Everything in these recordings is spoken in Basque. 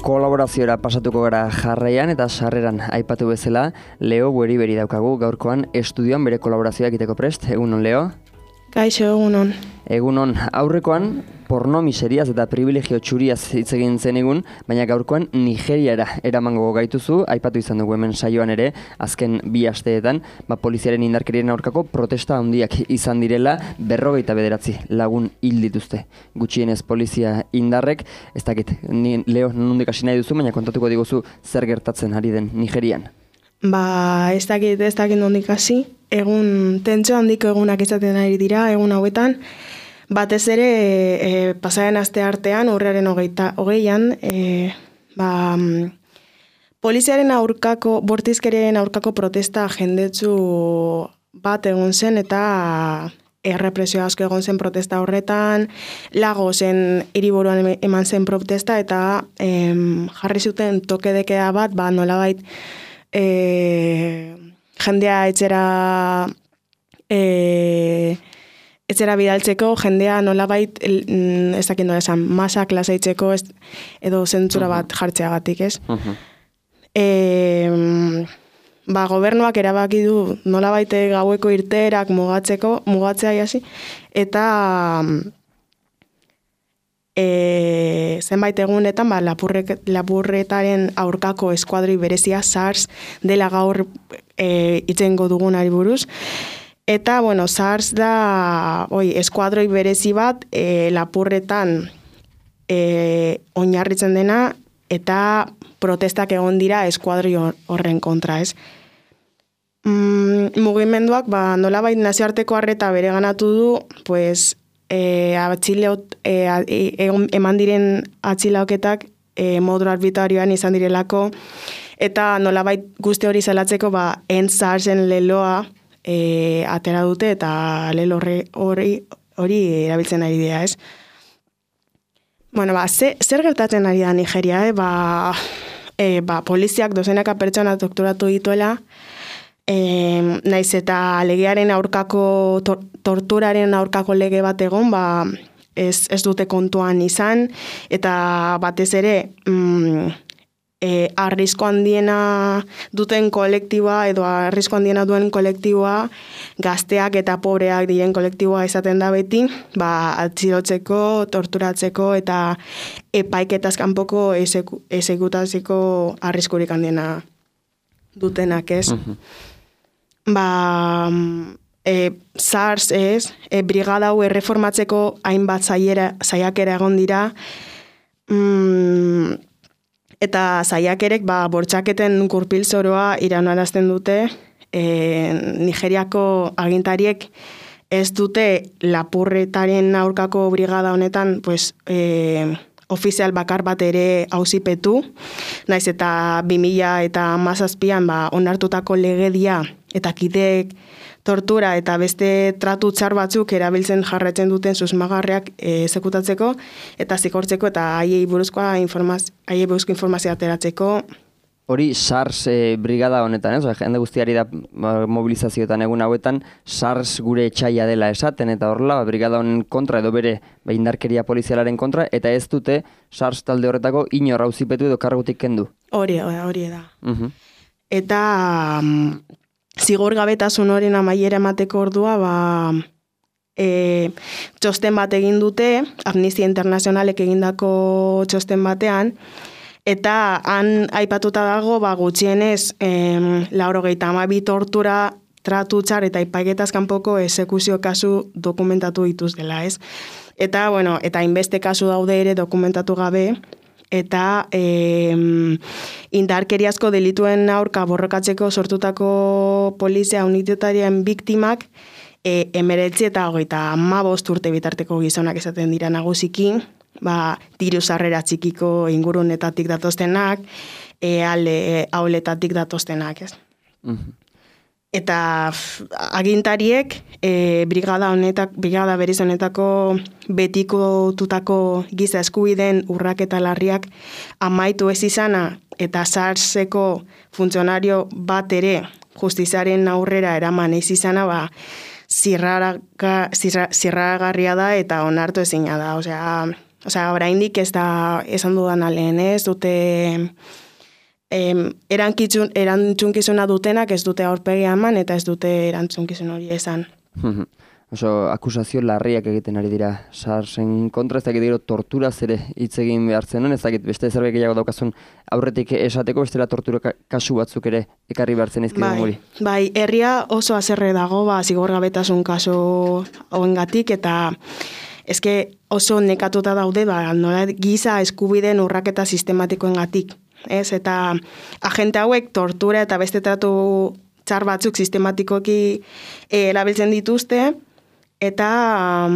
Kolaborazioa pasatuko gara jarraian eta sarreran aipatu bezala, Leo Bueriberi daukagu gaurkoan estudioan bere kolaborazioa egiteko prest. Egunon, Leo? Kaixo, egunon. Egunon, aurrekoan porno miseriaz eta privilegio txuriaz hitz egin zen egun, baina gaurkoan Nigeriara eramango gaituzu, aipatu izan dugu hemen saioan ere, azken 2 asteetan, poliziaren indarkerien aurkako protesta handiak izan direla, 59 lagun hil dituzte. Gutxienez polizia indarrek, ez dakit, Leo, nondik hasi nahi duzu, baina kontatuko diguzu zer gertatzen ari den Nigerian. Ez dakit nondik hasi. Egun tentsio handiko egunak izaten ari dira, egun hauetan. Batez ere, pasaren aste artean, urriaren 20an, poliziaren aurkako, bortizkerien aurkako protesta jendetsu bat egon zen eta errepresio asko egon zen protesta horretan, Lagosen hiriburuan eman zen protesta eta jarri zuten tokedekea bat, nolabait jendea etxera bidaltzeko, jendea nolabait, ez dakit nola esan, masak lasaitzeko edo zentzura bat jartzeagatik, ez? Gobernuak erabaki du nolabait gaueko irteerak mugatzea hasi, eta zenbait egunetan lapurretaren aurkako eskuadroi berezia SARS dela gaur itzengo dugunari buruz. Eta, SARS da eskuadroi berezi bat lapurretan oinarritzen dena eta protestak egon dira eskuadroi horren kontra, ez? Mugimenduak nolabait nazioarteko arreta bereganatu du, eman diren atxilaoketak modu arbitrarioan izan direlako, eta nolabait guzti hori zelatzeko SARSen leloa atera dute eta lelo hori erabiltzen ari dira, ez? Zer gertatzen ari da Nigeria, poliziak dozenaka pertsona torturatu dituela, naiz eta legearen aurkako, torturaren aurkako lege bat egon, ez dute kontuan izan, eta batez ere, arrisko handiena duten kolektiboa edo arrisko handiena duen kolektiboa, gazteak eta pobreak diren kolektiboa izaten da beti, atxilotzeko, torturatzeko eta epaiketaz kanpoko exekutatzeko arriskurik handiena dutenak, ez? SARS brigada hau erreformatzeko hainbat saiakera egon dira, eta saiakerek bortxaketen gurpil zoroa iraunarazten dute. Nigeriako agintariek ez dute lapurretaren aurkako brigada honetan ofizial bakar bat ere auzipetu, naiz eta 2017an onartutako legedia eta kideek tortura eta beste tratu txar batzuk erabiltzen jarraitzen duten susmagarriak exekutatzeko eta zigortzeko eta haiei buruzko informazioa ateratzeko. Hori SARS brigada honetan, ez? Jende guztiari da mobilizazioetan egun hauetan SARS gure etxaia dela esaten eta horrela brigada honen kontra edo bere indarkeria polizialaren kontra eta ez dute SARS talde horretako inor auzipetu edo kargutik kendu. Hori da. Eta zigorgabetasun horien amaiera emateko ordua txosten bat egin dute, Amnistia Internazionalek egindako txosten batean, eta han aipatuta dago gutxienez 92 tortura, tratu txar eta epaiketaz kanpoko exekuzio kasu dokumentatu dituztela, ez? Eta, eta hainbeste kasu daude ere dokumentatu gabe, eta indarkeriazko delituen aurka borrokatzeko sortutako polizia unitatearen biktimak 19 eta 35 urte bitarteko gizonak esaten dira nagusiki, diru sarrera txikiko ingurunetatik datoztenak, auletatik datoztenak, ez? Eta agintariek brigada berez honetako betikotutako giza eskubideen urraketa larriak amaitu ez izana eta SARSeko funtzionario bat ere justiziaren aurrera eraman ez izana, zirraragarria da eta onartu ezina da. osea, oraindik ez da esan dudan lehen, ez dute erantzunkizuna dutenak ez dute aurpegia eman eta ez dute erantzunkizun hori esan. Oso, akusazio larriak egiten ari dira SARS-en kontra, ez dakit gero torturaz ere hitz egin behar zenuen, ez dakit beste zerbait gehiago daukazun aurretik esateko, bestela tortura kasu batzuk ere ekarri behar zen izkidun guri. Bai, herria oso haserre dago, zigorgabetasun kasu hoengatik, eta eske oso nekatuta daude, nola giza eskubideen urraketa sistematikoengatik. Ez, eta agente hauek tortura eta beste tratu txar batzuk sistematikoki erabiltzen dituzte, eta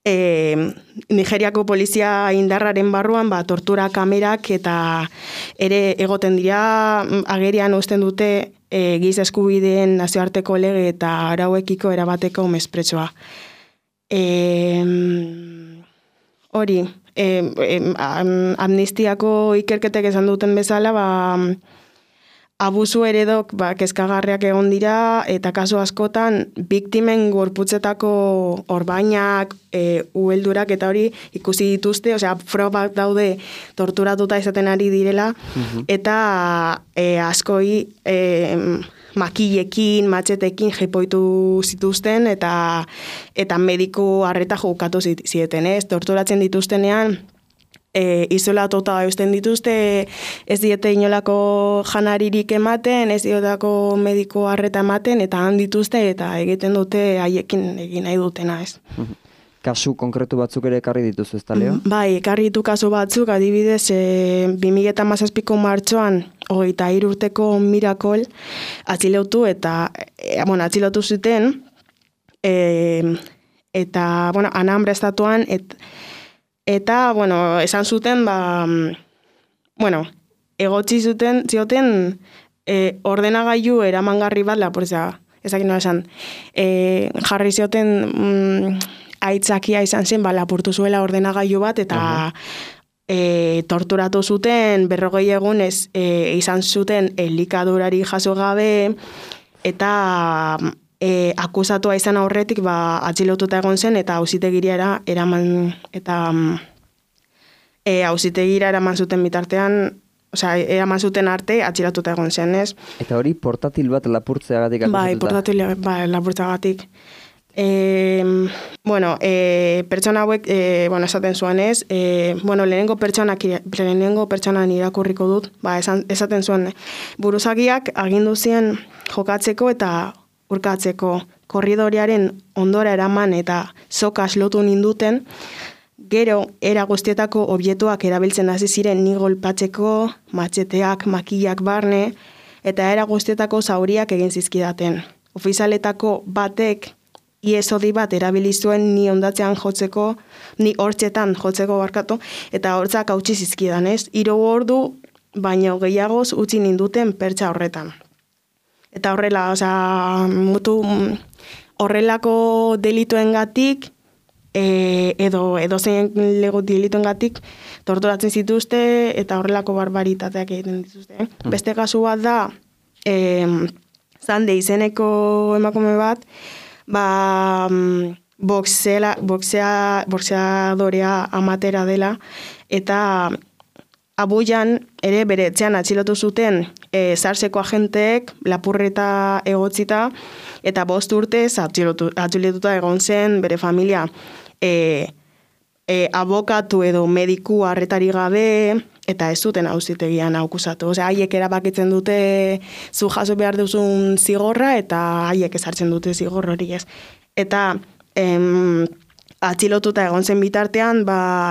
Nigeriako polizia indarraren barruan tortura kamerak eta ere egoten dira agerian uzten dute giza eskubideen nazioarteko lege eta arauekiko erabateko mespretsoa. Hori, amnistiako ikerketek esan duten bezala, abusu eredok kezkagarriak egon dira eta kasu askotan biktimen gorputzetako orbainak, uheldurak eta hori ikusi dituzte, osea, frogak daude torturatuta izaten ari direla, eta askoi makilekin, matxetekin jepoitu zituzten eta mediku arreta jokatu zieten, ez? Torturatzen dituztenean, isolatuta eusten dituzte, ez diete inolako janaririk ematen, ez diotako mediku arreta ematen, eta han dituzte eta egiten dute haiekin egin nahi dutena, ez? Kasu konkretu batzuk ere ekarri dituzu, ez da, Leo? Bai, ekarri ditu kasu batzuk, adibidez, 2017ko martxoan, 23 urteko Miracle atxilotu eta, atxilotu zuten, eta, Anambra estatuan, eta, esan zuten, egotzi zioten ordenagailu eramangarri bat lapurtzea, ezakin nola esan, jarri zioten aitzakia izan zen, lapurtu zuela ordenagailu bat, eta torturatu zuten, 40 egunez izan zuten elikadurari jaso gabe, eta akusatua izan aurretik atxilotuta egon zen, eta auzitegira eraman, eta auzitegira eraman zuten bitartean, eraman zuten arte atxilotuta egon zen, ez? Eta hori portatil bat lapurtzeagatik akusatuta? Bai, portatil lapurtzeagatik. Pertsona hauek, esaten zuen ez, lehenengo pertsonan irakurriko dut, esaten zuen, buruzagiak agindu zien jokatzeko eta urkatzeko korridoriaren ondora eraman eta sokas lotu ninduten, gero era guztietako objektuak erabiltzen hasi ziren ni golpatzeko, matxeteak, makillak barne, eta era guztietako zauriak egin zizkidaten. Ofizialetako batek iesodi bat erabili zuen ni hondatzean jotzeko, ni hortzetan jotzeko barkatu, eta hortzak hautsi zizkidan, ez? 3 ordu baino gehiagoz utzi ninduten pertsa horretan. Eta horrela, horrelako delituengatik, edo zein lego delituengatik torturatzen zituzte eta horrelako barbaritateak egiten dituzte. Beste kasu bat da, Zande izeneko emakume bat, boxeadorea amatera dela, eta Abujan ere bere etxean atxilotu zuten SARS-eko agenteek lapurreta egotzita, eta 5 urtez atxilotuta egon zen bere familia abokatu edo mediku arretari gabe, eta ez zuten auzitegian akusatu. Osea, haiek erabakitzen dute zu jaso behar duzun zigorra, eta haiek ezartzen dute zigor hori ez. Eta atxilotuta egon zen bitartean,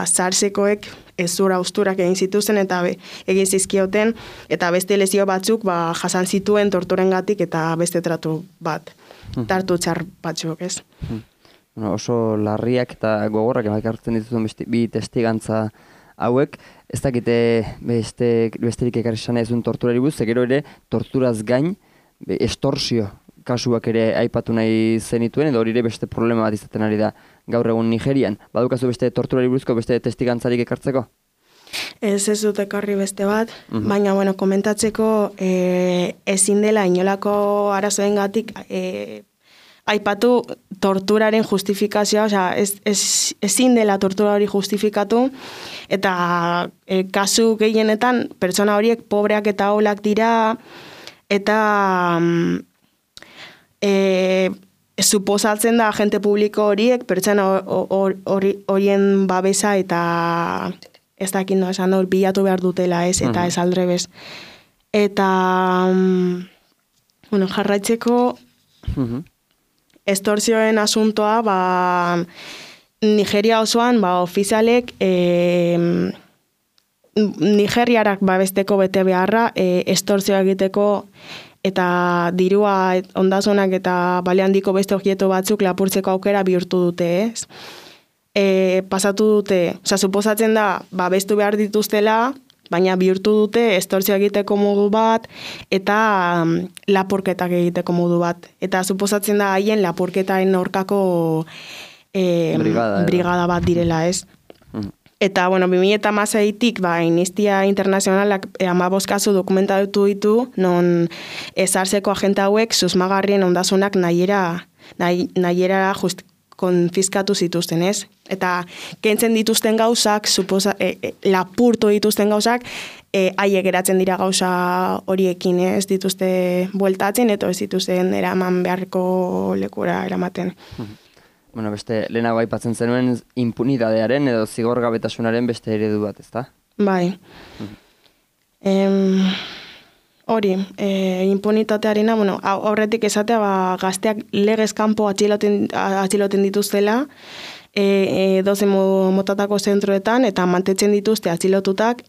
SARS-ekoek ezura usturak egin zituzen eta egin zizkioten, eta beste lesio batzuk jasan zituen torturengatik eta beste tratu tartu txar batzuk, ez? Oso larriak eta gogorrak ekartzen dituzun bi testigantza hauek, ez dakite besterik ekarri sana ezun torturari buruz, gero ere torturaz gain estorsio kasuak ere aipatu nahi zenituen, edo hori ere beste problema bat izaten ari da gaur egun Nigerian. Badukazu beste torturari buruzko beste testigantzarik ekartzeko? Ez dut ekarri beste bat, baina komentatzeko ezin dela inolako arazoengatik aipatu torturaren justifikazioa, osea, ezin dela tortura hori justifikatu, eta kasu gehienetan pertsona horiek pobreak eta aholak dira, eta suposatzen da agente publiko horiek pertsona horien babesa eta ez dakit no, esan hor bilatu behar dutela ez, eta ez aldrebez. Eta, bueno, jarraitzeko estortzioen asuntoa, Nigeria osoan, ofizialek nigeriarak babesteko bete beharra, estortzioa egiteko eta dirua ondasunak eta bale handiko beste objektu batzuk lapurtzeko aukera bihurtu dute, ez? Pasatu dute, suposatzen da, babestu behar dituztela, baina bihurtu dute estortzioa egiteko modu bat eta lapurketak egiteko modu bat. Eta suposatzen da haien lapurketaren aurkako brigada bat direla, ez? Eta, bueno, 2016-tik, Amnistia Internazionalak 15 kasu dokumentatu ditu, non ezartzeko agente hauek susmagarrien ondasunak nahiera konfiskatu zituzten, ez? Eta kentzen dituzten gauzak, lapurtu dituzten gauzak, haiek geratzen dira gauza horiekin, ez dituzte bueltatzen, eta ez dituzten eraman beharko lekura eramaten. Bueno, beste lehenago aipatzen zenuen impunidadearen edo zigorgabetasunaren beste eredu bat, ezta? Bai. Hori, impunitatearena, bueno, aurretik esatea, gazteak legez kanpo atxiloten dituztela, doze motatako zentroetan, eta mantetzen dituzte atxilotutak,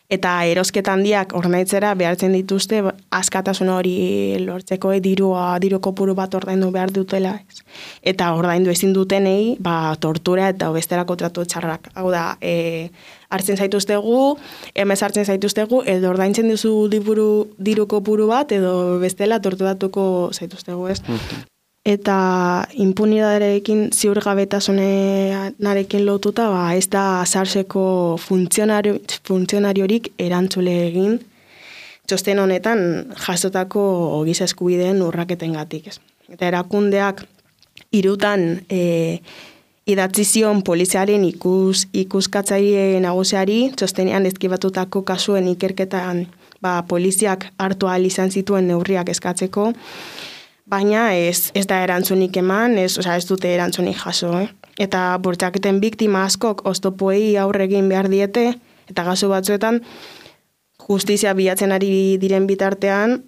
eta erosketa handiak ordaintzera behartzen dituzte askatasun hori lortzeko diru kopuru bat ordaindu behar dutela. Eta ordaindu ezin dutenei tortura eta besterako tratu txarrak. Hau da, hartzen zaituztegu, hartzen zaituztegu, edo ordaintzen duzu diru kopuru bat, edo bestela torturatuko zaituztegu, ez? Eta impunidaderekin ziurgabetasunarekin lotuta, ez da sarseko funtzionariorik erantzule egin txosten honetan jasotako giza eskubideen urraketengatik. Eta erakundeak 3 idatzi zion poliziaren ikuskatzaile nagusiari txostenean deskribatutako kasuen ikerketan poliziak hartu ahal izan zituen neurriak eskatzeko, baina ez da erantzunik eman, ez dute erantzunik jaso. Eta bortxaketen biktima askok oztopoei aurre egin behar diete, eta kasu batzuetan justizia bilatzen ari diren bitartean,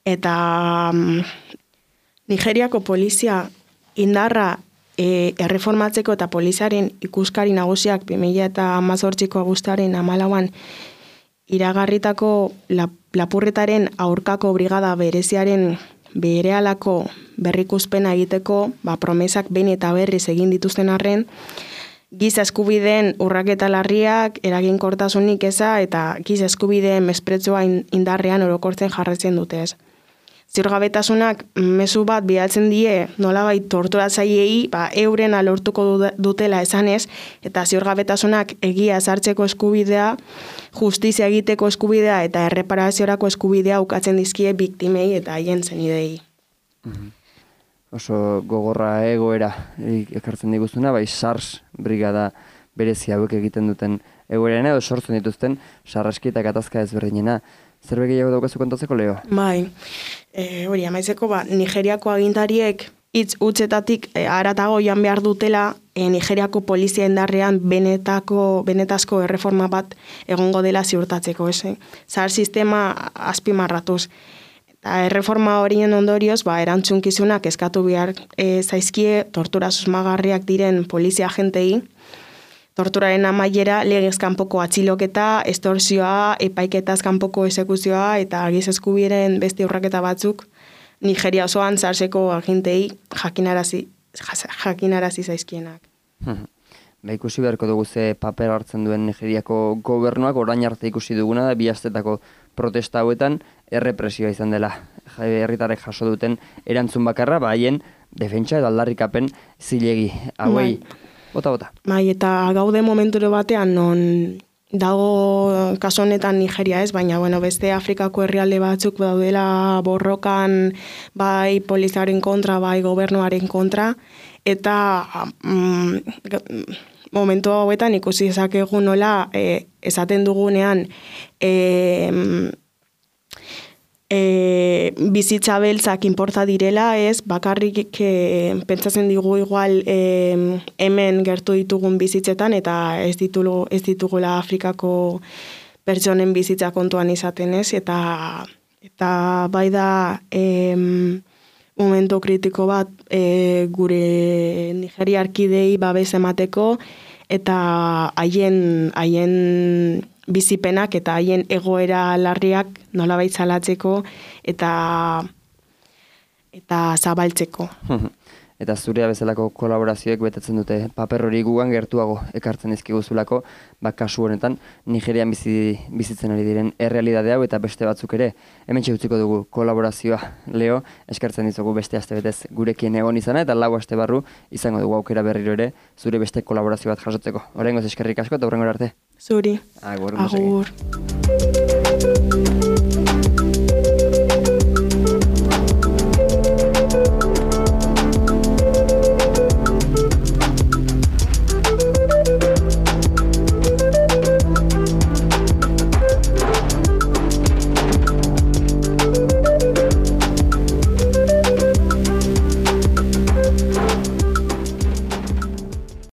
eta Nigeriako polizia indarra erreformatzeko eta poliziaren ikuskari nagusiak 2018ko abuztuaren 14an iragarritako lapurretaren aurkako brigada bereziaren berehalako berrikuspena egiteko, promesak behin eta berriz egin dituzten arren, giza eskubideen urraketa larriak, eraginkortasunik eza eta giza eskubideen mespretxoa indarrean orokortzen jarraitzen dutez. Ziurgabetasunak mezu bat bidaltzen die nolabait torturatzaileei euren lortuko dutela esanez, eta ziurgabetasunak egia ezartzeko eskubidea, justizia egiteko eskubidea eta erreparaziorako eskubidea ukatzen dizkie biktimei eta haien zenidei. Oso gogorra egoera ekartzen diguzuna, SARS brigada berezi hauek egiten duten egoerena edo sortzen dituzten sarraski eta gatazka ezberdinena. Zerbait gehiago daukazu kontatzeko, Leo? Bai, hori, amaitzeko, Nigeriako agintariek hitz hutsetatik haratago joan behar dutela Nigeriako polizia indarrean benetazko erreforma bat egongo dela ziurtatzeko, zahar sistema azpimarratuz. Eta erreforma horien ondorioz, erantzunkizunak eskatu behar zaizkie tortura susmagarriak diren polizia agentei, torturaren amaiera legez kanpoko atxiloketa, estortzioa, epaiketaz kanpoko esekuzioa eta giza eskubideen beste urraketa batzuk Nigeria osoan zarseko agintei jakinarazi zaizkienak. Ikusi beharko dugu ze paper hartzen duen Nigeriako gobernuak, orain arte ikusi duguna da 2 astetako protesta hauetan errepresioa izan dela. Herritarrek jaso duten erantzun bakarra, haien defentsa edo aldarrikapen zilegi. Hauei, bota. Bai, eta gaude momenturo batean non dago kasu honetan Nigeria ez, baina bueno, beste Afrikako herrialde batzuk daudela borrokan bai poliziaren kontra, bai gobernuaren kontra, eta momentu hauetan ikusi dezakegu nola esaten dugunean bizitza beltzak inporta direla, ez, bakarrik pentsatzen digu igual hemen gertu ditugun bizitzetan eta ez ditugula Afrikako pertsonen bizitza kontuan izaten, ez, eta bai da momento kritiko bat gure nigeriarkidei babes emateko eta haien bizipenak eta haien egoera larriak nolabait salatzeko eta zabaltzeko. Eta zurea bezalako kolaborazioek betetzen dute paper hori gugan gertuago ekartzen dizkiguzulako, kasu honetan Nigerian bizitzen ari diren errealitate hau eta beste batzuk ere. Hementxe utziko dugu kolaborazioa, Leo, eskartzen dizugu beste astebetez gurekin egon izana eta 4 aste barru izango dugu aukera berriro ere zure beste kolaborazio bat jasotzeko. Oraingoz eskerrik asko eta hurrengora arte. Zuri. Agur. Agur.